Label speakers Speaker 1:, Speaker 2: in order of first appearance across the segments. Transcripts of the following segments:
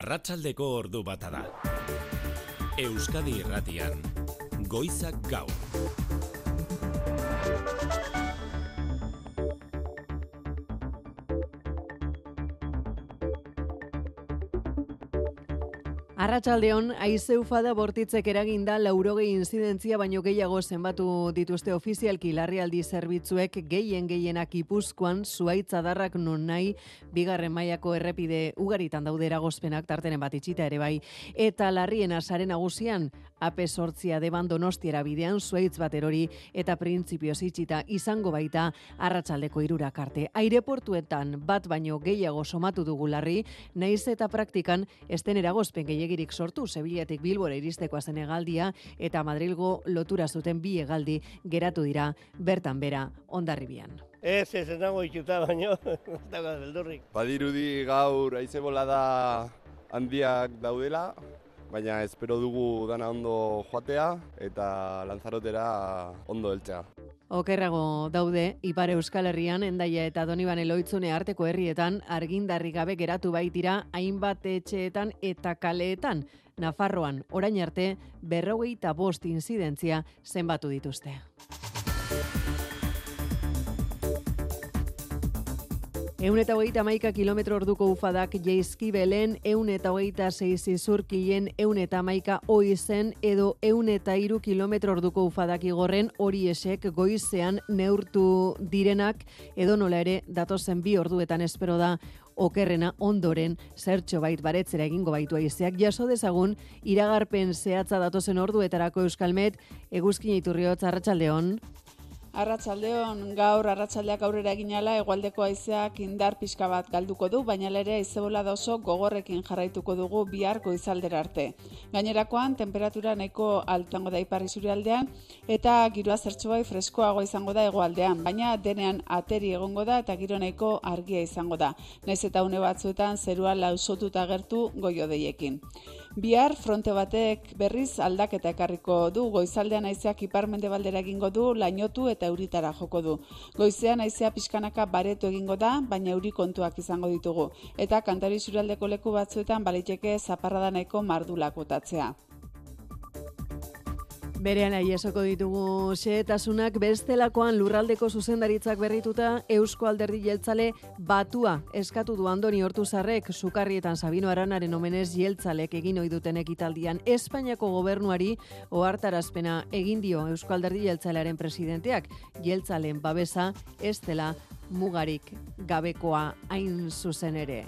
Speaker 1: Arratsaldeko ordu bata da. Euskadi Irratian, Goizak Gaur.
Speaker 2: Arratsaldeon, haize ufada bortitzek eraginda 80 inzidentzia baino gehiago zenbatu dituzte ofizialki larrialdi zerbitzuek gehienak Gipuzkoan zuhaitz adarrak non nahi bigarren mailako errepide ugaritan daude eragozpenak tartenen bat itxita ere bai. Eta larriena sare nagusian AP8 Deban Donostiara bidean zuhaitz bat erori eta printzipioz itxita izango baita arratsaldeko 3 arte. Aireportuetan bat baino gehiago somatu dugu larri, naiz eta praktikan esten eragozpen gehiagirik sortu Sevillatik Bilbora iristekoa zen hegaldia eta Madrilgo lotura zuten bi hegaldi geratu dira bertan bera Hondarribian.
Speaker 3: Ez nago itxuta baino, ez dago beldurrik.
Speaker 4: Badirudi gaur haize bolada handiak daudela, baina espero dugu dana ondo joatea eta Lanzarotera ondo heltzea.
Speaker 2: Okerrago daude, Ipar Euskal Herrian, Hendaia eta Donibane Lohitzune arteko herrietan argindarri gabe geratu baitira hainbat etxeetan eta kaleetan. Nafarroan, orain arte, 45 inzidentzia zenbatu dituzte. 131 kilometro orduko ufadak Jaizkibelen, 126 Izurkilen, 111 Oizen edo 103 kilometro orduko ufadak Igorren horiesek goizean neurtu direnak edo nola ere datozen 2 orduetan espero da okerrena ondoren zertxo bait baretzera egingo baitu haizeak. Jaso dezagun iragarpen zehatza datozen orduetarako Euskalmet, Eguzkin Iturriotz, arratsaldeon.
Speaker 5: Arratsaldeon, gaur arratsaldeak aurrera eginala hegoaldeko haizeak indar pixka bat galduko du, baina ere haizebolada oso gogorrekin jarraituko dugu bihar goizaldera arte. Gainerakoan tenperatura nahiko altuango da ipar isurialdean eta giroa zertxobai freskoago izango da hegoaldean, baina denean ateri egongo da eta giro nahiko argia izango da. Naiz eta une batzuetan zerua lausotuta agertu goiodeiekin. Bihar fronte batek berriz aldaketa ekarriko du, goizaldean haizeak ipar-mendebaldera egingo du, lainotu eta euritara joko du. Goizean haizea pixkanaka baretu egingo da, baina euri kontuak izango ditugu. Eta Kantari isurialdeko leku batzuetan baliteke zaparrada nahiko mardulak botatzea.
Speaker 2: Berean aiesoko ditugu xehetasunak, bestelakoan lurraldeko zuzendaritzak berrituta Eusko Alderdi Jeltzale batua eskatu du Andoni Ortuzarrek Sukarrietan Sabino Aranaren omenez jeltzalek egin ohi duten ekitaldian. Espainiako gobernuari ohartarazpena egin dio Eusko Alderdi Jeltzalearen presidenteak, jeltzaleen babesa ez dela mugarik gabekoa hain zuzen ere.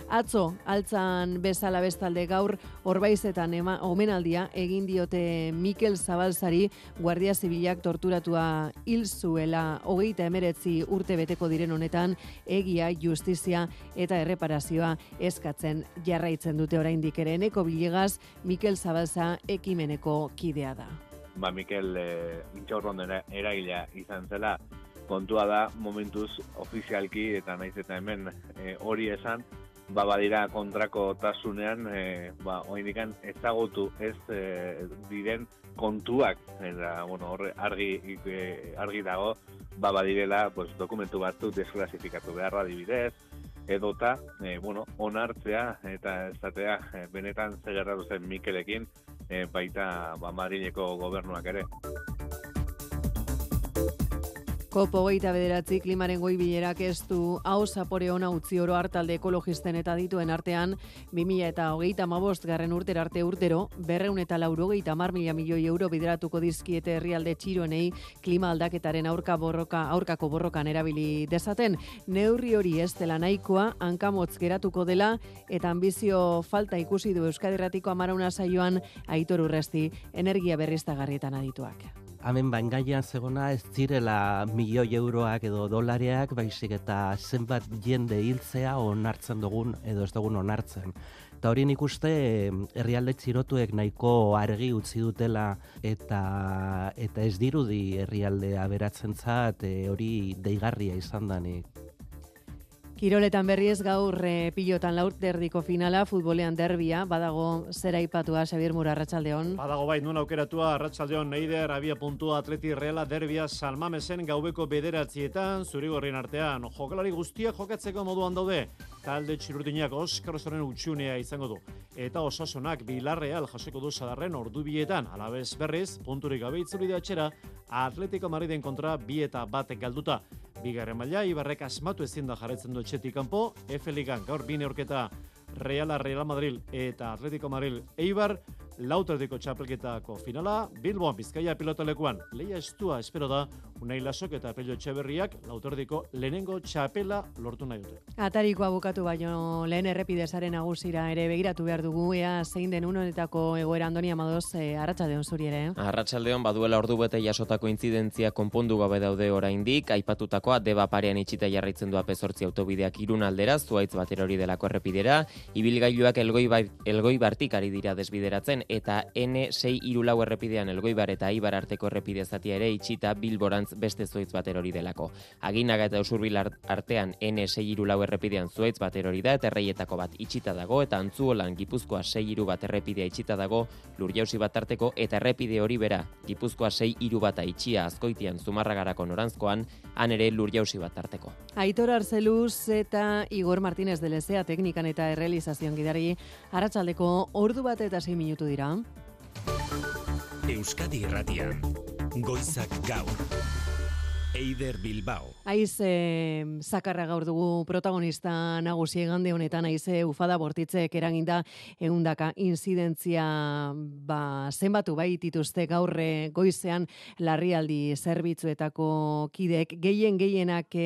Speaker 2: Atzo, altzan bezala bestalde gaur, Orbaizetan omenaldia egin diote Mikel Zabalzari, Guardia Zibilak torturatua hil zuela 39 urte beteko diren honetan, egia, justizia eta erreparazioa eskatzen jarraitzen dute oraindik ere. Eneko Bilegaz, Mikel Zabalza ekimeneko kidea da.
Speaker 6: Mikel Intxaurrondo eragilea izan zela, kontua da momentuz ofizialki eta naiz eta hemen hori esan, badira kontrako tasunean, oraindikan ezagutu ez diren kontuak, eta horre argi dago, badirela dokumentu batzuk desklasifikatu beharra adibidez, edota onartzea eta esatea benetan ze gertatu zen Mikelekin, baita Madrileko gobernuak ere.
Speaker 2: COP29 klimaren goi bilerak ez du hau zapore ona utzi oro hartalde ekologisten eta dituen artean 2035 urtera arte urtero 280 milioi euro bideratuko dizkiete herrialde txiroenei klima aldaketaren aurkako borrokan erabili dezaten. Neurri hori ez dela nahikoa, hankamotz geratuko dela eta ambizio falta ikusi du Euskadi Irratiko Amarauna saioan Aitor Urresti, energia berriztagarrietan adituak.
Speaker 7: Hemen baingaian zegona ez zirela milioi euroak edo dolareak, baizik eta zenbat jende hiltzea onartzen dugun edo ez dugun onartzen. Eta hori nik uste herrialde txirotuek nahiko argi utzi dutela eta ez dirudi herrialdea beratzentzat hori deigarria izan danik.
Speaker 2: Kiroletan berriz gaur pilotan laurderdiko finala, futbolean derbia, badago zera ipatua, Xabier Mura, arratsaldeon.
Speaker 8: Badago bai, nuen aukeratua, arratsaldeon Neider, abia puntua Atleti Reala derbia Salmamesen gaubeko 9etan, zurigorrien artean, jokalari guztiak jokatzeko moduan daude, talde txirurdinak Oskar Osoren utxunea izango du. Eta Osasunak Villarreal jasoko du sadarren ordubietan, alabez berriz, punturik gabe itzuli da atxera, Atletico Madriden kontra 2-1 galduta. Bigarren maila, Ibarrek asmatu ezin da jarraitzen du etxetik kanpo, F-Ligan gaur bi neurketa Real Madrid eta Atletico Madrid Eibar, lauterdiko txapelketako finala, Bilboan Bizkaia pilotalekuan lehia estua espero da, Unai Lasok eta Pello Etxeberriak lauterdiko lehenengo txapela lortu nahi dute.
Speaker 2: Atarikoa bukatu baino lehen errepidezaren nagusira ere begiratu behar dugu, ea zein den honetako egoera. Andoni Amadoz, arratsaldeon zuri ere.
Speaker 9: Arratsaldeon baduela ordubete jasotako intzidentzia konpondu gabe daude oraindik, aipatutakoa Deba parean itxita jarraitzen du AP8 autobideak Irun aldera, zuhaitz batera hori delako errepidera, ibilgailuak Elgoibartik ari dira desbideratzen, eta N634 errepidean Elgoibar eta Eibar arteko errepide zatia ere itxita Bilborantz beste zuhaitz bater hori delako. Aginaga eta Usurbil artean N634 errepidean zuhaitz bater hori da, eta Erreietako bat itxita dago, eta Antzuolan Gipuzkoa 631 errepidea itxita dago, Lurjauzi bat arteko, eta errepide hori bera, Gipuzkoa 631 itxia Azkoitian Zumarragarako norantzkoan, han ere Lurjauzi bat arteko.
Speaker 2: Aitor Arzeluz eta Igor Martínez de Lezea teknikan eta errealizazioan gidari, arratsaldeko 1:06 dira.
Speaker 1: Euskadi Irratian, Goizak Gaur. Eider Bilbao.
Speaker 2: Aize zakarra gaur dugu protagonista nagusi egande honetan, aize ufada bortitzek eraginda 100 inzidentzia zenbatu bai dituzte gaur goizean larrialdi zerbitzuetako kidek gehienak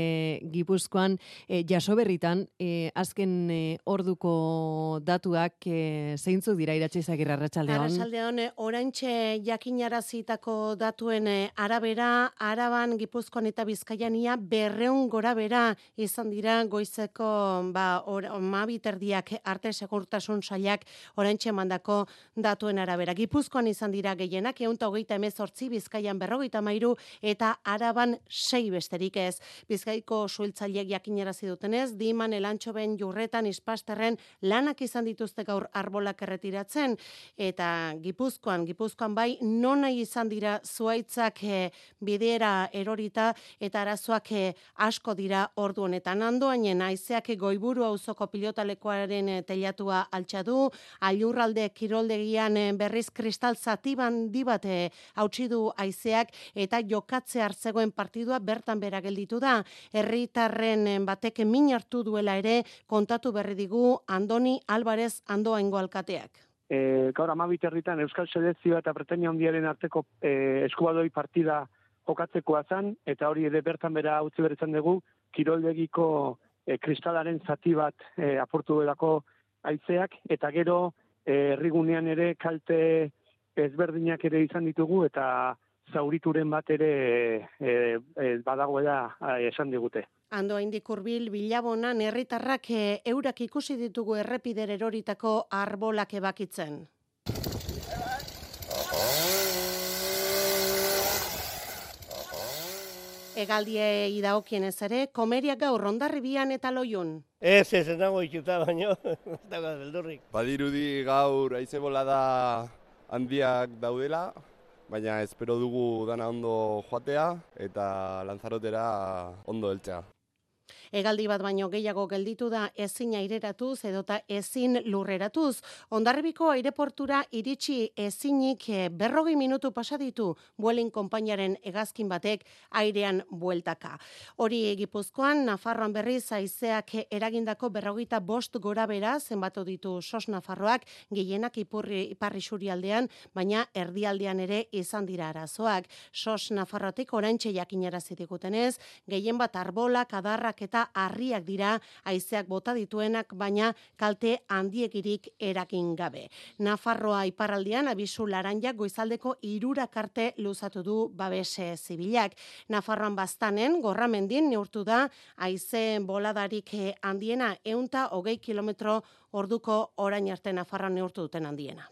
Speaker 2: Gipuzkoan jaso berritan azken orduko datuak zeintzuk dira Iratxizagirre arratsaldeon.
Speaker 10: Arratsaldeon oraintxe jakinarazitako datuen arabera Araban Gipuzkoan eta Bizkaian ia 200 gorabera izan dira goizeko 12 arte segurtasun sailak oraintxe emandako datuen arabera. Gipuzkoan izan dira gehienak 128, Bizkaian 53 eta Araban 6 besterik ez. Bizkaiko suhiltzaileek jakinarazi dutenez, Diman, Elantxoben, Jurretan, Ispasterren lanak izan dituzte gaur arbolak erretiratzen, eta Gipuzkoan bai nona izan dira zuhaitzak bidera erorita eta arazoak asko dira ordu honetan. Andoainen haizeak Goiburu auzoko pilotalekoaren teilatua altxa du, Aiurralde kiroldegian berriz kristal zati handi bat hautsi du haizeak, eta jokatze hartzegoen partidua bertan bera gelditu da. Herritarren batek min hartu duela ere kontatu berri digu Andoni Alvarez Andoaingo alkateak.
Speaker 11: Gaur 12 herritan Euskal Selekzioa eta Bretania Handiaren arteko eskubadoi partida jokatzekoa zen, eta hori ere bertan bera utzi berritzen dugu, kiroldegiko kristalaren zati bat apurtu delako haizeak, eta gero herrigunean ere kalte ezberdinak ere izan ditugu, eta zaurituren bat ere badagoela esan digute.
Speaker 10: Andoaindik hurbil Bilabonan herritarrak eurak ikusi ditugu errepider eroritako arbolak ebakitzen. Egaldiei dagokienez ere, komeriak gaur Hondarribian eta Loiun.
Speaker 3: Ez nago ikuta baino, ez dago beldurrik.
Speaker 4: Badirudi gaur haize bolada handiak daudela, baina espero dugu dana ondo joatea eta Lanzarotera ondo heltzea.
Speaker 10: Hegaldi bat baino gehiago gelditu da ezin aireratuz edota ezin lurreratuz. Hondarribiko aireportura iritsi ezinik 40 minutu pasa ditu Vueling konpainiaren hegazkin batek airean bueltaka. Hori Gipuzkoan, Nafarroan berriz haizeak eragindako 45 gorabera zenbatu ditu SOS Nafarroak, gehienak iparri surialdean, baina erdialdean ere izan dira arazoak. SOS Nafarroatik oraintxe jakinarazi digutenez, gehien bat arbolak, adarrak eta harriak dira haizeak bota dituenak, baina kalte handiegirik eragin gabe. Nafarroa iparraldean abisu laranja goizaldeko 3 arte luzatu du babese zibilak. Nafarroan Baztanen, Gorramendin neurtu da haize boladarik handiena, 120 km orduko orain arte Nafarroan neurtu duten handiena.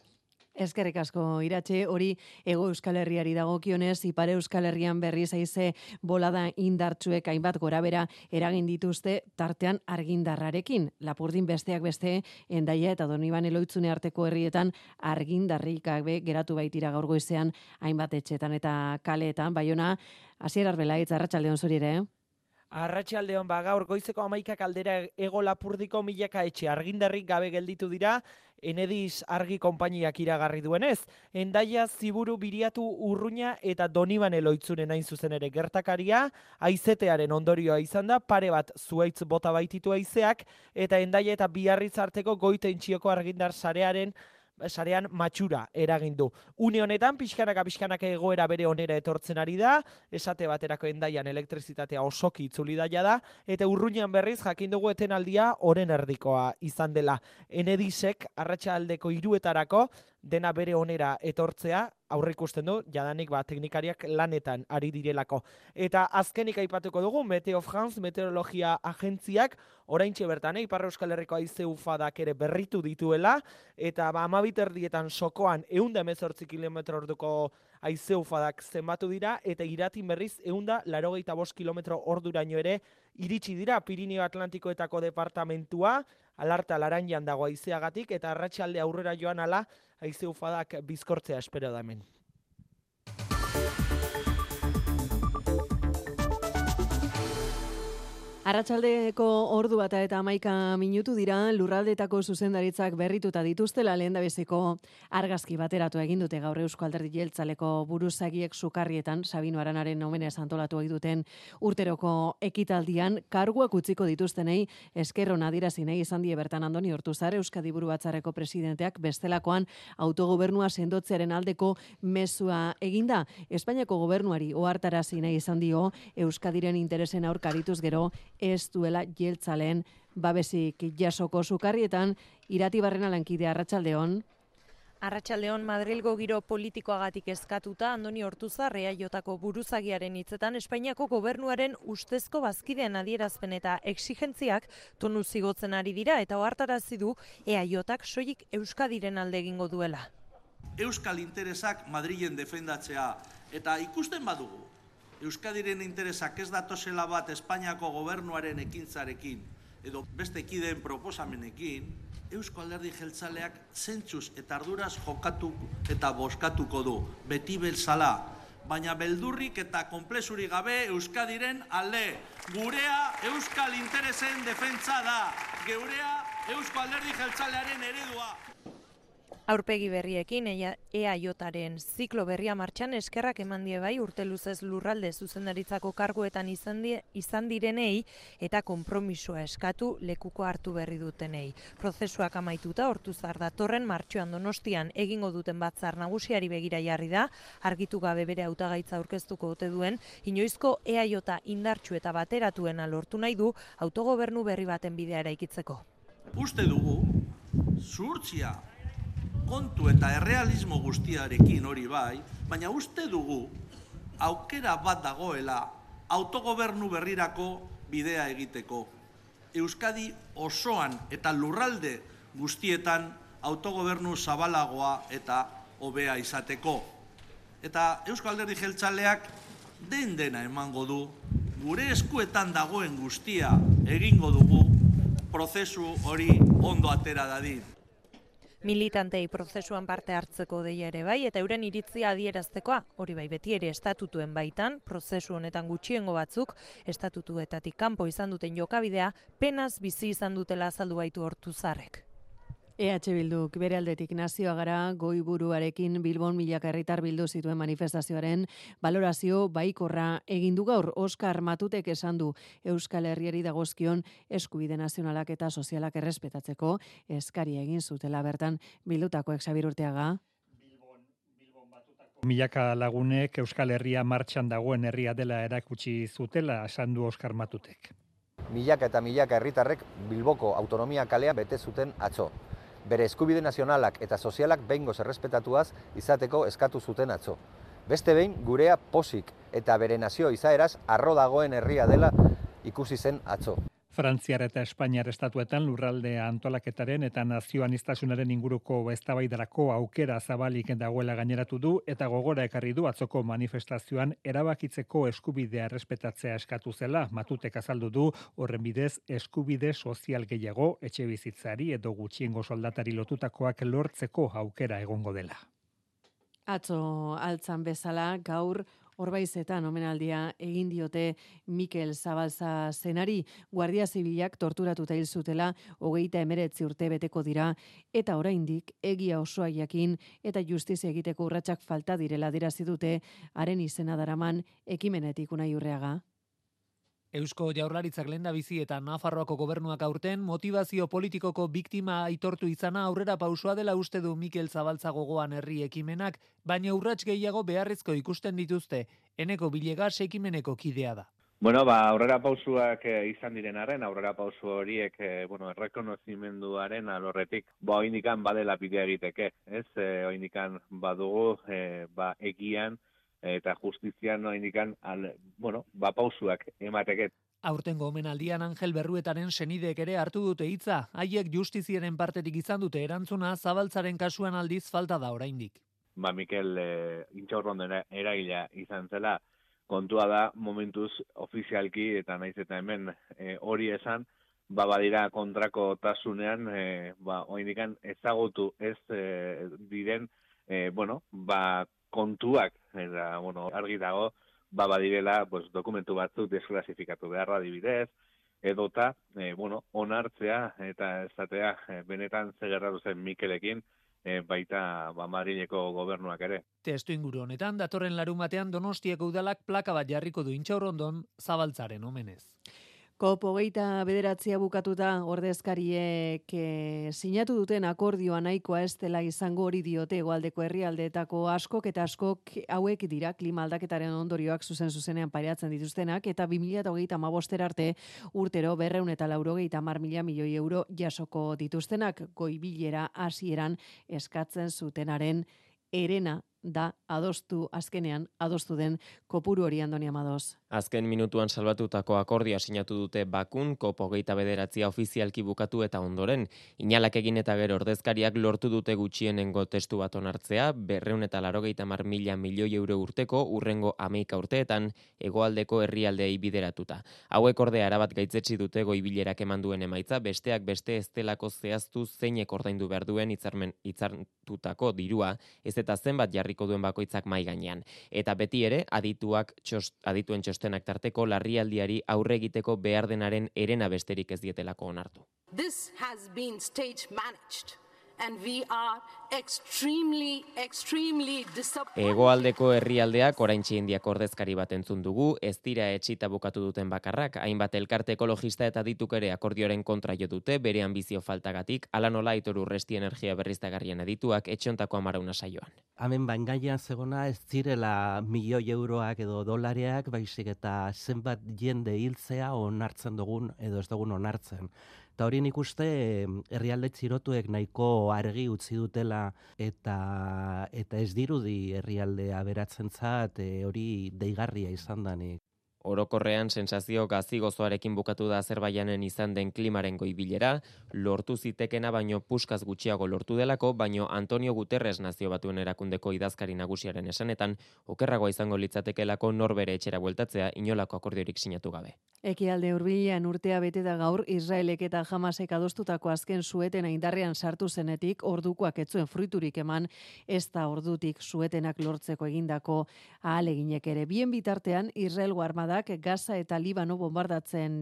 Speaker 2: Eskerrik asko Iratxe, hori Hego Euskal Herriari dagokionez, Ipar Euskal Herrian berriz haize bolada indartsuek hainbat gorabera eragin dituzte tartean argindarrarekin. Lapurdin besteak beste, Hendaia eta Donibane Loitzune arteko herrietan argindarrik gabe geratu baitira gaur goizean hainbat etxetan eta kaleetan. Baiona, Asier Arbelaitz, arratsaldeon zuri ere.
Speaker 12: Arratsaldeon, gaur goizeko 11 aldera Hego Lapurdiko milaka etxe argindarrik gabe gelditu dira, Enedis argi konpainiak iragarri duenez. Hendaia, Ziburu, Biriatu, Urruña eta Donibane Loitzunen hain zuzen ere gertakaria, haizetearen ondorioa izan da, pare bat zuhaitz bota baititu haizeak, eta Hendaia eta Biarritz arteko Goitentzioko argindar sarean matxura eragin du. Une honetan, pixkanaka egoera bere onera etortzen ari da, esate baterako Hendaian elektrizitatea osoki itzuli daia da, eta Urruñan berriz jakin dugu etenaldia oren erdikoa izan dela. Enedisek arratsaldeko 3:00 dena bere onera etortzea, aurreikusten du, jadanik teknikariak lanetan ari direlako. Eta azkenik aipatuko dugu, Meteo France, meteorologia agentziak, oraintxe bertan, Ipar Euskal Herriko haize ufadak ere berritu dituela, eta 12:00 sokoan 118 km/h haize ufadak zenbatu dira, eta Iratin berriz 185 km/h ere iritsi dira Pirineo Atlantikoetako departamentua, alarta laranjan dago haizeagatik, eta arratsalde aurrera joan ala, haize ufadak bizkortzea espero da hemen.
Speaker 2: Arratsaldeko ordu bata eta 11 minutu dira, lurraldeetako zuzendaritzak berrituta dituztela lehendabiziko argazki bateratu egin dute gaur Eusko Alderdi Jeltzaleko buruzagiek Sukarrietan, Sabino Aranaren omenez antolatu egiten urteroko ekitaldian, karguak utziko dituztenei esker ona adierazi nahi izan die bertan Andoni Ortuzar, Euskadi Buru Batzarreko presidenteak bestelakoan autogobernua sendotzearen aldeko mezua eginda. Espainiako gobernuari ohartarazi nahi izan dio Euskadiren interesen aurkarituz gero ez duela jeltzaleen babesik jasoko. Sukarrietan, Irati Barrena lankidea, arratsaldeon.
Speaker 13: Arratsaldeon, Madrilgo giro politikoagatik eskatuta Andoni Ortuzar EAJko buruzagiaren hitzetan Espainiako gobernuaren ustezko bazkideen adierazpen eta exigentziak tonu zigotzen ari dira eta ohartarazi du EAJak soilik Euskadiren alde egingo duela.
Speaker 14: Euskal interesak Madrilen defendatzea eta ikusten badugu Euskadiren interesak ez datozela bat Espainiako gobernuaren ekintzarekin edo beste kideen proposamenekin, Eusko Alderdi Jeltzaleak zentzuz eta arduraz jokatu eta bozkatuko du, beti belzala, baina beldurrik eta konplexurik gabe Euskadiren alde. Gurea Euskal interesen defentsa da, geurea Eusko Alderdi Jeltzalearen eredua.
Speaker 13: Aurpegi berriekin EAJaren ziklo berria martxan eskerrak eman die bai urte luzez lurralde zuzendaritzako karguetan izan direnei eta konpromisoa eskatu lekuko hartu berri dutenei. Prozesuak amaituta Ortuzar datorren martxoan Donostian egingo duten batzar nagusiari begira jarri da, argitu gabe bere hautagaitza aurkeztuko ote duen, inoizko EAJ indartsu eta bateratuena lortu nahi du autogobernu berri baten bidea eraikitzeko.
Speaker 14: Uste dugu, zuhurtzia kontu eta errealismo guztiarekin hori bai, baina uste dugu aukera bat dagoela autogobernu berrirako bidea egiteko. Euskadi osoan eta lurralde guztietan autogobernu zabalagoa eta hobea izateko. Eta Eusko Alderdi Jeltzaleak dena emango du, gure eskuetan dagoen guztia egingo dugu, prozesu hori ondo atera dadin.
Speaker 13: Militantei prozesuan parte hartzeko deia ere bai, eta euren iritzia adieraztekoa, hori bai beti ere estatutuen baitan, prozesu honetan gutxiengo batzuk, estatutuetatik kanpo izan duten jokabidea, penaz bizi izan dutela azaldu baitu Ortuzarrek.
Speaker 2: EH Bilduk bere aldetik Nazioa Gara goiburuarekin Bilbon milaka herritar bildu zituen manifestazioaren balorazio baikorra egin du gaur. Oskar Matutek esan du Euskal Herriari dagozkion eskubide nazionalak eta sozialak errespetatzeko eskaria egin zutela bertan bildutakoek. Xabir Urteaga.
Speaker 15: Milaka lagunek Euskal Herria martxan dagoen herria dela erakutsi zutela, esan du Oskar Matutek.
Speaker 16: Milaka eta milaka herritarrek Bilboko autonomia kalea bete zuten atzo. Bere eskubide nazionalak eta sozialak behingoz errespetatuaz izateko eskatu zuten atzo. Beste behin gurea posik eta bere nazio izaeraz arro dagoen herria dela ikusi zen atzo.
Speaker 15: Frantziar eta Espainiar estatuetan lurralde antolaketaren eta nazioaniztasunaren inguruko eztabaidarako aukera zabalik dagoela gaineratu du eta gogora ekarri du atzoko manifestazioan erabakitzeko eskubidea errespetatzea eskatu zela. Matutek azaldu du horren bidez eskubide sozial gehiago etxebizitzari edo gutxiengo soldatari lotutakoak lortzeko aukera egongo dela.
Speaker 2: Atzo altzan bezala gaur Orbaizetan omenaldia egin diote Mikel Zabalza zenari. Guardia Zibilak torturatuta hil zutela 39 urte beteko dira eta oraindik egia osoa jakin eta justizia egiteko urratsak falta direla adierazi dute haren izena daraman ekimenetik Unai Urreaga.
Speaker 17: Eusko Jaurlaritzak lehendabizi eta Nafarroako gobernuak aurten motivazio politikoko biktima aitortu izana aurrera pausua dela uste du Mikel Zabalza gogoan herri ekimenak, baina urrats gehiago beharrezko ikusten dituzte. Eneko Bilegas ekimeneko kidea da.
Speaker 6: Bueno, aurrera pausuak izan diren arren, aurrera pausu horiek, errekonozimenduaren alorretik, oindikan badela bidea egiteke, ez? Oindikan badugu, egian, eta justizian indikan pausuak emateket.
Speaker 17: Aurtengo omenaldian Angel Berruetaren senideek ere hartu dute hitza, haiek justiziaren partetik izan dute erantzuna, Zabaltzaren kasuan aldiz falta da oraindik.
Speaker 6: Mikel Intxaurronden eragilea izan zela, kontua da momentuz ofizialki eta naiz eta hemen hori esan, badira kontrako tasunean, oindikan ezagutu ez diren, kontuak, eta, argi dago, badirela, dokumentu batzuk desklasifikatu beharra adibidez, edota, onartzea eta esatea benetan zegerratu zen Mikelekin, baita Madrileko gobernuak ere.
Speaker 17: Testu inguru honetan, datorren larunbatean Donostiako udalak plaka bat jarriko du Intxaurrondon Zabaltzaren omenez.
Speaker 2: COP29 bukatuta ordezkariek sinatu duten akordioa nahikoa ez dela izango hori diote hegoaldeko herrialdeetako askok eta askok hauek dira klima aldaketaren ondorioak zuzenean pairatzen dituztenak eta 2035 arte urtero 290 milioi euro jasoko dituztenak goibilera hasieran eskatzen zutenaren herena da azkenean adostu den kopuru hori Andoni Amadoz.
Speaker 9: Azken minutuan salbatutako akordioa sinatu dute Bakun, COP29 ofizialki bukatu eta ondoren. Inalak egin eta gero ordezkariak lortu dute gutxienengo testu bat onartzea, 290 milioi euro urteko urrengo 11 urteetan hegoaldeko herrialdeei bideratuta. Hauek ordea erabat gaitzetsi dute goibilerak eman duen emaitza, besteak beste ez delako zehaztu zeinek ordaindu behar duen hitzartutako dirua, ez eta zenbat jarriko duen bakoitzak mai gainean. Eta beti ere, adituen txostenak tarteko larrialdiari aurre egiteko behar denaren herena besterik ez dietelako onartu.
Speaker 18: This has been stage managed. And we are extremely disappointed.
Speaker 9: Hegoaldeko herrialdeak oraintxe Indiak ordezkari bat entzun dugu, ez dira etxita bukatu duten bakarrak, hainbat elkarte ekologista eta dituk ere akordioaren kontra jo dute, bere ambizio faltagatik, ala nola Aitor Urresti energia berriztagarrien adituak etxontako amarauna saioan.
Speaker 7: Hemen baingaian zegona ez zirela milioi euroak edo dolareak, baizik eta zenbat jende hiltzea onartzen dugun edo ez dugun onartzen. Eta hori nik uste herrialde txirotuek nahiko argi utzi dutela eta ez dirudi herrialdea beratzentzat hori deigarria izan danik.
Speaker 9: Orokorrean sensazio gazi-gozoarekin bukatu da Azerbaijanen izan den klimaren goibilera, lortu zitekena baino puskaz gutxiago lortu delako, baino Antonio Guterres Nazio Batuen Erakundeko idazkari nagusiaren esanetan, okerragoa izango litzatekelako norbere etxera bueltatzea inolako akordiorik sinatu gabe.
Speaker 2: Ekialde Hurbilean urtea bete da gaur Israelek eta Hamasek adostutako azken suetena indarrean sartu zenetik ordukoak ez zuen fruiturik eman, ez da ordutik suetenak lortzeko egindako ahaleginek ere. Bien bitartean Israelgo armadak Gaza eta Libano bombardatzen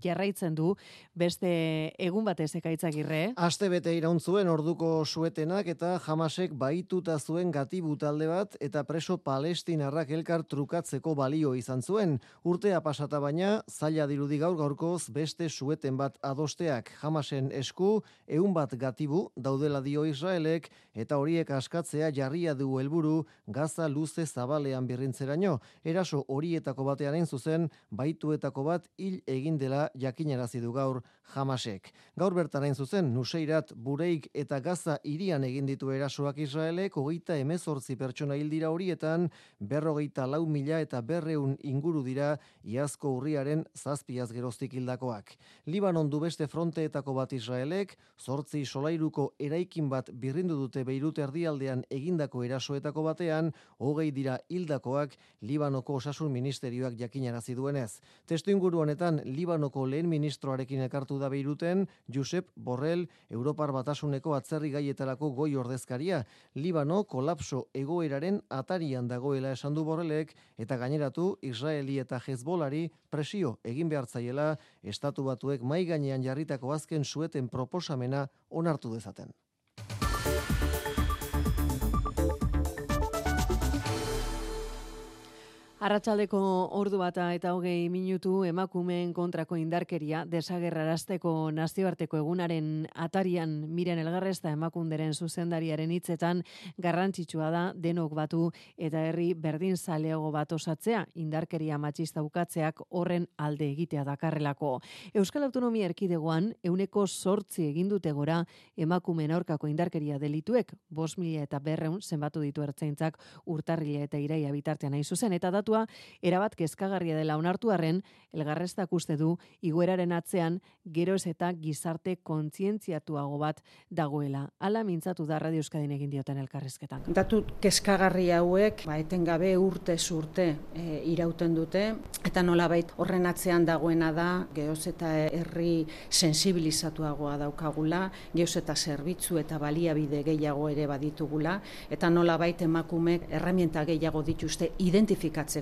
Speaker 2: jarraitzen du beste egun batez ekaitzagirre.
Speaker 19: Aste bete iraun zuen orduko suetenak eta Hamasek bahituta zuen gatibu talde bat eta preso palestinarrak elkar trukatzeko balio izan zuen. Urtea pasata baina zaila dirudi gaurkoz beste sueten bat adosteak. Hamasen esku 100 bat gatibu daudela dio Israelek eta horiek askatzea jarria du helburu Gaza luze zabalean birrintzeraino. Eraso horietako batearen hain zuzen baituetako bat hil egin dela jakinarazi du gaur Hamasek. Gaur bertan hain zuzen Nuseirat, Bureik eta Gaza hirian egin ditu erasoak Israelek 38 pertsona hil dira horietan 54.000 eta 200 inguru dira iazko urriaren 7 geroztik hildakoak. Libanon du beste fronteetako bat Israelek, 8 solairuko eraikin bat birrindu dute Beirut erdialdean egindako erasoetako batean, 20 dira hildakoak Libanoko osasun ministerioak jakinarazi duenez. Testuinguru honetan Libanoko lehen ministroarekin elkartu da Beiruten Josep Borrell, Europar Batasuneko atzerri gaietarako goi ordezkaria. Libano kolapso egoeraren atarian dagoela esan du Borrellek eta gaineratu Israeli eta Hezbolari presio egin behartzaiela Estatu Batuek mai gainean jarritako azken sueten proposamena onartu dezaten.
Speaker 2: Arratsaldeko ordu bata eta 20 minutu emakumeen kontrako indarkeria desagerrarazteko nazioarteko egunaren atarian Miren Elgarrezta emakunderen zuzendariaren hitzetan garrantzitsua da denok batu eta herri berdinzaleago bat osatzea, indarkeria matxista ukatzeak horren alde egitea dakarrelako. Euskal Autonomia Erkidegoan 8% egin dute gora emakumeen aurkako indarkeria delituek, 5.200 zenbatu ditu ertzaintzak urtarrila eta iraia bitartean hain zuzen, eta datua erabat kezkagarria dela onartu arren, Elgarreztak uste du igoeraren atzean geroz eta gizarte kontzientziatuago bat dagoela. Hala mintzatu da Radio Euskadin egin dioten elkarrizketan.
Speaker 20: Datu kezkagarri hauek etengabe urtez urte irauten dute eta nolabait horren atzean dagoena da geroz eta herri sensibilizatuagoa daukagula, geroz eta zerbitzu eta baliabide gehiago ere baditugula eta nolabait emakumeek erreminta gehiago dituzte identifikatzeko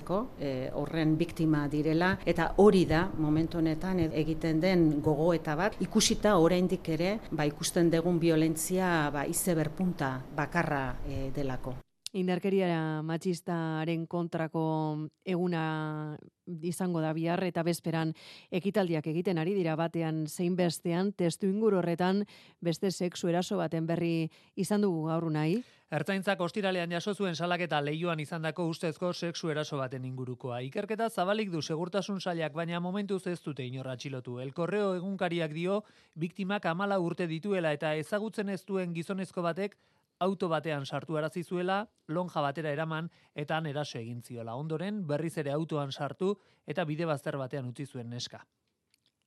Speaker 20: horren biktima direla eta hori da momentu honetan egiten den gogoeta bat ikusita oraindik ere ikusten dugun violentzia izeberg punta bakarra delako.
Speaker 2: Indarkeria matxistaren kontrako eguna izango da bihar eta bezperan ekitaldiak egiten ari dira batean zein bestean, testuinguru horretan beste sexu eraso baten berri izan dugu gaur nahi.
Speaker 17: Ertzaintzak ostiralean jaso zuen salaketa Leioan izandako ustezko sexu eraso baten ingurukoa. Ikerketa zabalik du segurtasun sailak, baina momentuz ez dute inor atxilotu. El Correo egunkariak dio biktimak 14 urte dituela eta ezagutzen ez duen gizonezko batek auto batean sartu arazi zuela, lonja batera eraman eta han eraso egin ziola. Ondoren berriz ere autoan sartu eta bide bazter batean utzi zuen neska.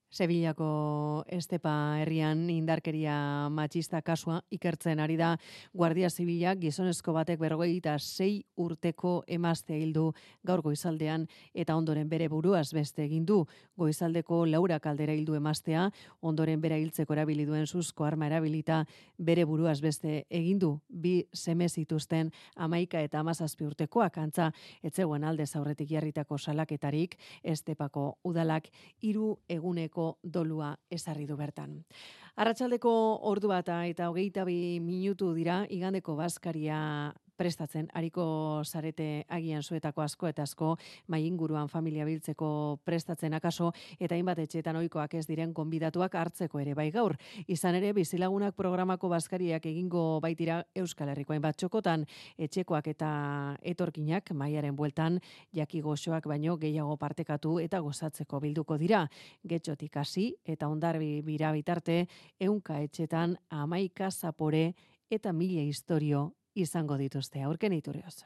Speaker 2: Sevillako Estepa herrian indarkeria matxista kasua ikertzen ari da Guardia Zibilak gizonezko batek 56 urteko emazte hildu gaur goizaldean eta ondoren bere buruaz beste egin du. Goizaldeko Laura Kaldera hildu emaztea, ondoren bera hiltzeko erabili duen suzko arma erabilita bere buruaz beste egin du. 2 seme zituzten 11 eta 17 urtekoak, antza etzegoen aldez aurretik jarritako salaketarik. Estepako udalak 3 eguneko dolua ezarri du bertan. Arratsaldeko ordu bata eta 22 minutu dira igandeko bazkaria prestatzen, ariko zarete agian zuetako asko eta asko mai inguruan familia biltzeko prestatzen akaso eta hainbat etxeetan ohikoak ez diren gonbidatuak hartzeko ere bai gaur. Izan ere Bizilagunak programako bazkariak egingo baitira Euskal Herriko hainbat txokotan, etxekoak eta etorkinak maiaren bueltan jaki goxoak baino gehiago partekatu eta gozatzeko bilduko dira. Getxotik hasi eta Hondarbi bira bitarte 100 etxetan 11 zapore eta 1000 istorio izango dituzte. Aurken Iturrioz.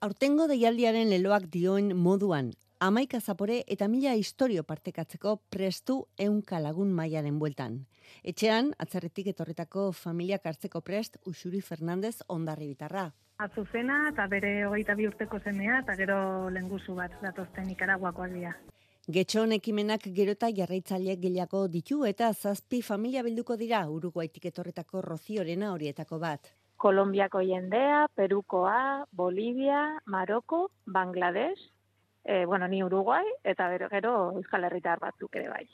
Speaker 21: Aurtengo deialdiaren leloak dioen moduan, 11 zapore eta 1000 istorio partekatzeko prestu 100 lagun maiaren bueltan. Etxean, atzerritik etorritako familiak hartzeko prest Uxuri Fernandez Hondarri bitarra.
Speaker 22: Azuzena eta bere 22 urteko semea eta gero lenguzu bat datozten Nikaraguakoak dira.
Speaker 21: Getxon ekimenak gero eta jarraitzaile gehiago ditu eta 7 familia bilduko dira Uruguaitik etorritako Roziorena horietako bat.
Speaker 23: Kolombiako jendea, Perukoa, Bolivia, Maroko, Bangladesh, ni Uruguai eta gero Euskal Herritar batzuk ere bai.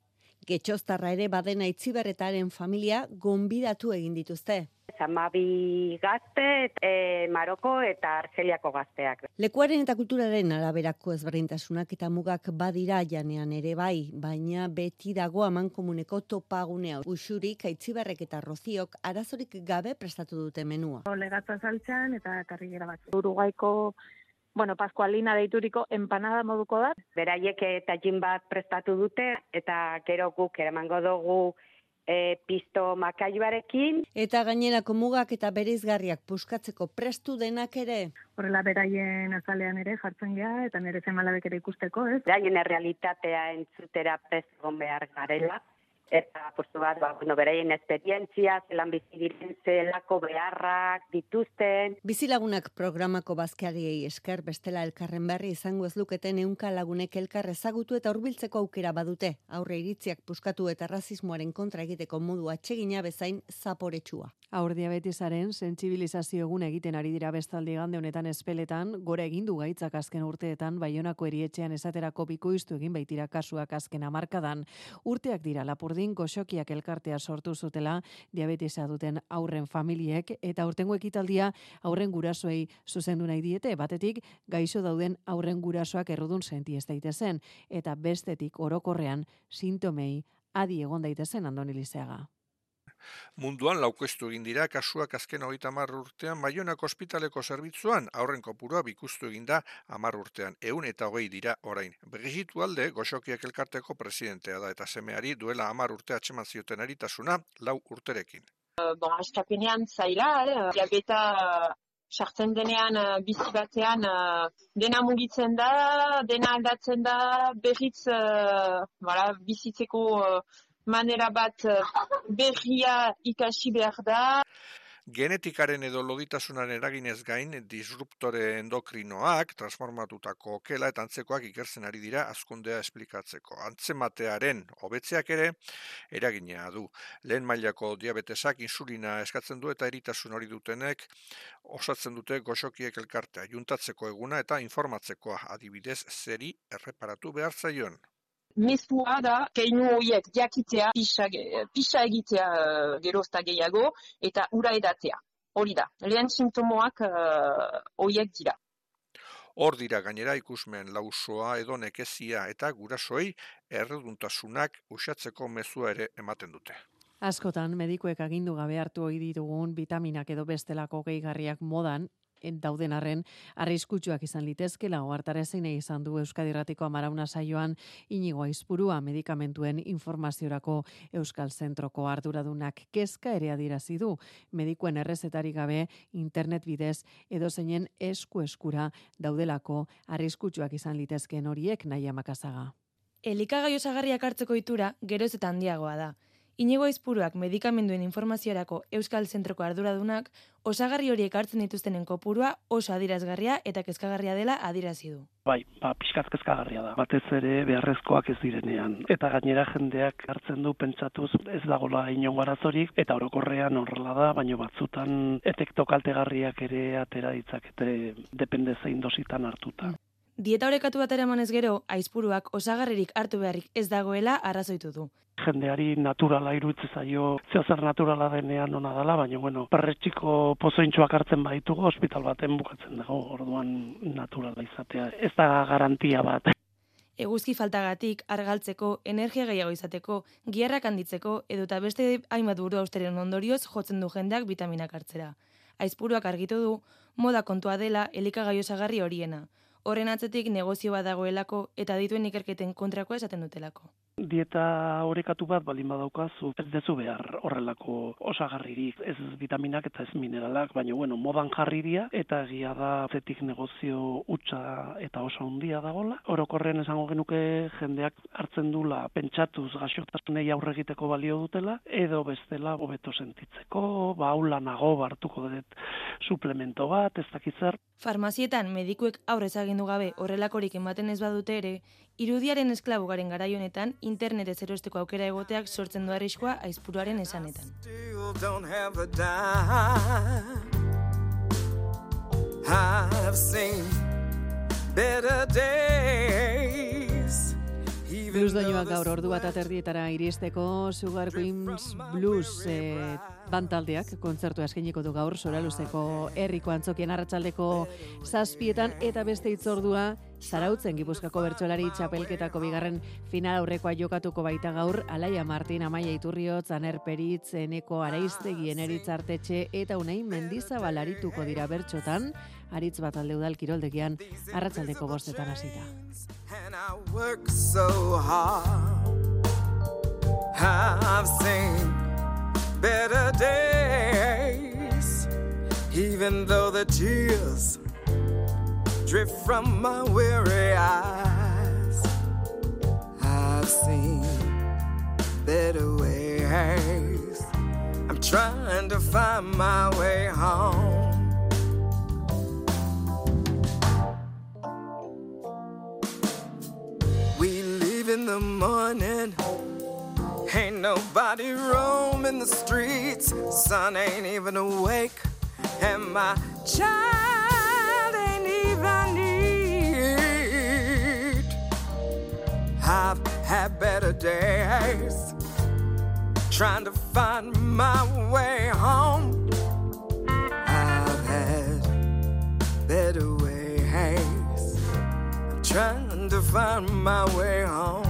Speaker 21: Getxoztarra ere badena Itziberretaren familia gonbidatu egin dituzte.
Speaker 24: Zamabi gazte, Maroko eta Argeliako gazteak.
Speaker 21: Lekuaren eta kulturaren araberako ezberdintasunak eta mugak badira janean ere bai, baina beti dago amankomuneko topagunea. Uxurik, Aitziberrek eta Roziok arazorik gabe prestatu dute menua.
Speaker 22: Legatza saltzean eta karrigera batzuk.
Speaker 24: Uruguaiko
Speaker 23: bueno, paskualina deituriko empanada moduko da.
Speaker 24: Beraiek tajin bat prestatu dute eta gero guk eramango dugu pisto makailuarekin.
Speaker 21: Eta gainerako mugak eta bereizgarriak puskatzeko prestu denak ere.
Speaker 23: Horrela beraien azalean ere jartzen gea eta nire semalabek ere ikusteko, ez?
Speaker 24: Beraien errealitatea entzutera prest egon behar garela. Eta, postu bat, beraien esperientzia, zelan bizi diren, zelako beharrak dituzten.
Speaker 21: Bizilagunak programako bazkariei esker bestela elkarren berri izango ez luketen 100 lagunek elkar ezagutu eta hurbiltzeko aukera badute. Aurre iritziak puskatu eta rasismoaren kontra egiteko modu atsegina bezain zaporetsua.
Speaker 2: Haur diabetesaren sentsibilizazio egun egiten ari dira bestalde igande honetan espeletan, gora egin du gaitzak azken urteetan, Baionako erietxean esaterako bikoiztu egin baitira kasuak azken hamarkadan. Urteak dira Lapurdin goxokiak elkartea sortu zutela diabetesa duten aurren familiek eta aurtengo ekitaldia aurren gurasoei zuzendu nahi diete, batetik gaixo dauden aurren gurasoak errudun senti ez daitezen eta bestetik orokorrean sintomei adi egon daitezen. Andoni Lizeaga.
Speaker 1: Munduan laukestu egin dira kasuak azken 30 urtean Baionako ospitaleko zerbitzuan, aurren kopurua bikustu egin da 10 urtean, 120 dira orain. Brigitte Ualde, goxokiak elkarteko presidentea da eta semeari duela 10 urte atxeman zioten eritasuna 4 urterekin.
Speaker 5: Askapenean zaila, diabeta sartzen denean bizi batean dena mugitzen da, dena aldatzen da, berriz bizitzeko manera bat berria ikasi behar da.
Speaker 1: Genetikaren edo loditasunaren eraginez gain, disruptore endokrinoak, transformatutako okela eta antzekoak ikertzen ari dira hazkundea esplikatzeko. Antzematearen hobetzeak ere eragina du. Lehen mailako diabetesak insulina eskatzen du eta eritasun hori dutenek osatzen dute goxokiek elkartea, juntatzeko eguna eta informatzekoa, adibidez zeri erreparatu behar zaion.
Speaker 5: Mezua da, keinu horiek jakitea, pisa egitea gerozta gehiago, eta ura edatea. Hori da, lehen sintomoak horiek dira.
Speaker 1: Hor dira gainera ikusmen lausoa edo nekezia eta gurasoei erreduntasunak uxatzeko mezua ere ematen dute.
Speaker 2: Askotan, medikuek agindu gabe hartu ohi ditugun vitaminak edo bestelako gehigarriak modan, dauden arren, arriskutsuak izan litezkela ohartarazi nahi izan du Euskadi Irratiko Amarauna saioan Inigo Aizpurua medikamentuen informaziorako Euskal Zentroko arduradunak kezka ere adierazi du. Medikuen errezetarik gabe internet bidez edozeinen eskura daudelako arriskutsuak izan litezkeen horiek. Naia Makazaga.
Speaker 8: Elikagai osagarriak hartzeko itura geroz eta handiagoa da. Inigo Aizpuruak medikamenduen informaziorako Euskal Zentroko arduradunak osagarri horiek hartzen dituztenen kopurua oso adierazgarria eta kezkagarria dela adierazi du.
Speaker 11: Bai, pixkat kezkagarria da. Batez ere beharrezkoak ez direnean. Eta gainera jendeak hartzen du pentsatuz ez dagoela inongo arazorik eta orokorrean horrela da, baina batzutan efekto kaltegarriak ere atera ditzakete depende zein dositan hartuta.
Speaker 8: Dieta orekatu bat eramanez gero, Aizpuruak osagarririk hartu beharrik ez dagoela arrazoitu du.
Speaker 11: Jendeari naturala iruditzen zaio, zeozer naturala denean ona dela, baina perretxiko pozointxoak hartzen baditugu, ospital baten bukatzen dago, orduan naturala izatea. Ez da garantia bat.
Speaker 8: Eguzki faltagatik, argaltzeko, energia gehiago izateko, giharrak handitzeko, edota beste hainbat buru austeren ondorioz jotzen du jendeak vitaminak hartzera. Aizpuruak argitu du, moda kontua dela elikagai osagarri horiena. Horren atzetik negozio bat dagoelako eta dituen ikerketen kontrakoa esaten dutelako.
Speaker 11: Dieta orekatu bat baldin badaukazu, ez dezu behar horrelako osagarririk, ez vitaminak eta ez mineralak, baina modan jarri dira eta egia da zetik negozio hutsa eta oso handia dagola. Orokorren esango genuke jendeak hartzen dula pentsatuz gaixotasunei aurre egiteko balio dutela edo bestela hobeto sentitzeko, aulanago hartuko dut suplemento bat, ez dakit zer.
Speaker 8: Farmazietan medikuek aurrez agindu gabe horrelakorik ematen ez badute ere, irudiaren esklabu garen garai honetan internetez erosteko aukera egoteak sortzen du arriskua Aizpuruaren esanetan.
Speaker 2: Blues doinoak gaur ordu bat aterdietara iristeko Sugar Queens Blues bantaldeak kontzertua eskainiko du gaur Soraluzeko herriko antzokien arratsaldeko 7 eta beste hitzordua Zarautzen Gipuzkoako bertsolari txapelketako bigarren final aurrekoa jokatuko baita gaur, Alaia Martin, Amaia Iturriotz, Aner Peritz, Eneko Araiztegi, Eneritz Artetxe eta Unai Mendizabal arituko dira bertsotan, aritz bat alde udal kiroldegian, arratsaldeko 5 hasita.
Speaker 3: I've seen better days, even though the tears drip from my weary eyes. I've seen better ways. I'm trying to find my way home. We leave in the morning. Ain't nobody roaming the streets. Sun ain't even awake, and my child ain't even eat. I've had better days, trying to find my way home. I've had better ways, I'm trying to find my way home.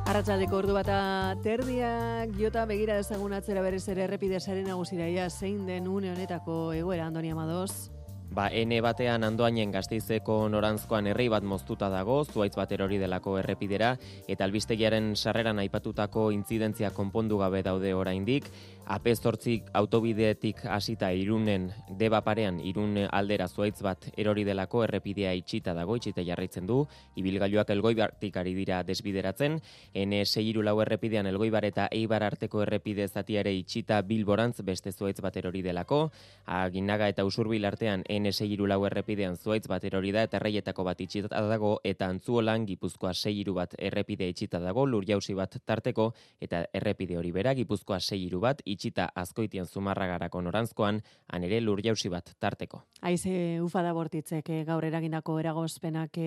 Speaker 2: Arratsaldeko ordu bata terdiak jota begira dezagun atzera berriz ere errepide sare nagusiraia zein den une honetako egoera, Andoni Amadoz.
Speaker 9: Ene batean Andoainen Gasteizeko norantzkoan herri bat moztuta dago, zuhaitz bat erori delako errepidera, eta albistegiaren sarreran aipatutako intzidentzia konpondu gabe daude oraindik. AP8 autobideetik hasita Irunen Deba parean Irun aldera zuhaitz bat erori delako errepidea itxita dago, itxita jarraitzen du, ibilgailuak Elgoibartik ari dira desbideratzen, N634 errepidean Elgoibar eta Eibar arteko errepide zatia ere itxita Bilborantz beste zuhaitz bat erori delako, Aginaga eta Usurbil artean N634 errepidean zuhaitz bat erori da eta Erreietako bat itxita dago, eta Antzuolan Gipuzkoa 6 bat errepide itxita dago, Lurjauzi bat tarteko, eta errepide hori bera Gipuzkoa 6 bat itxita Azkoitian Zumarragarako norantzkoan, han ere Lurjauzi bat tarteko.
Speaker 2: Haize ufada bortitzek gaur eragindako eragozpenak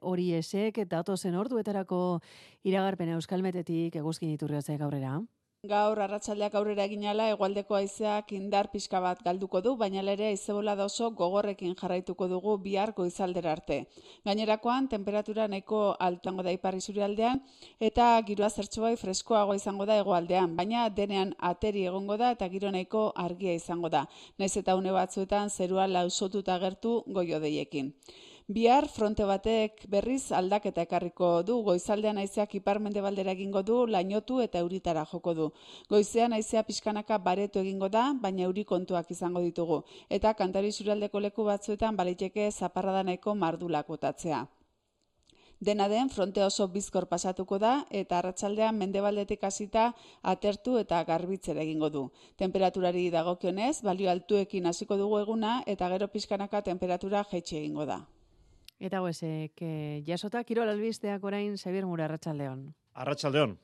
Speaker 2: hori esek, eta datozen orduetarako iragarpena Euskalmetetik Eguzkin Iturriotze gaurrera.
Speaker 4: Gaur arratsaldeak aurrera eginala hegoaldeko haizeak indar pixka bat galduko du, baina ere haize-bolada oso gogorrekin jarraituko dugu bihar goizaldera arte. Gainerakoan tenperatura nahiko altuango da ipar isurialdean eta giroa zertxobai freskoago izango da hegoaldean, baina denean ateri egongo da eta giro nahiko argia izango da. Naiz eta une batzuetan zerua lausotuta agertu goi-hodeiekin. Bihar fronte batek berriz aldaketa ekarriko du, goizaldean haizeak ipar-mendebaldera egingo du, lainotu eta euritara joko du. Goizean haizea pixkanaka baretu egingo da, baina euri kontuak izango ditugu. Eta Kantauri isurialdeko leku batzuetan baliteke zaparrada nahiko mardulak botatzea. Dena den, fronte oso bizkor pasatuko da eta arratsaldean mendebaldetik hasita atertu eta garbitzera egingo du. Temperaturari dagokionez, balio altuekin hasiko dugu eguna eta gero pixkanaka temperatura jaitsi egingo da.
Speaker 2: Eta goezek, jasota kirol albisteak orain Xabier Mura, arratsaldeon.
Speaker 10: Arratsaldeon.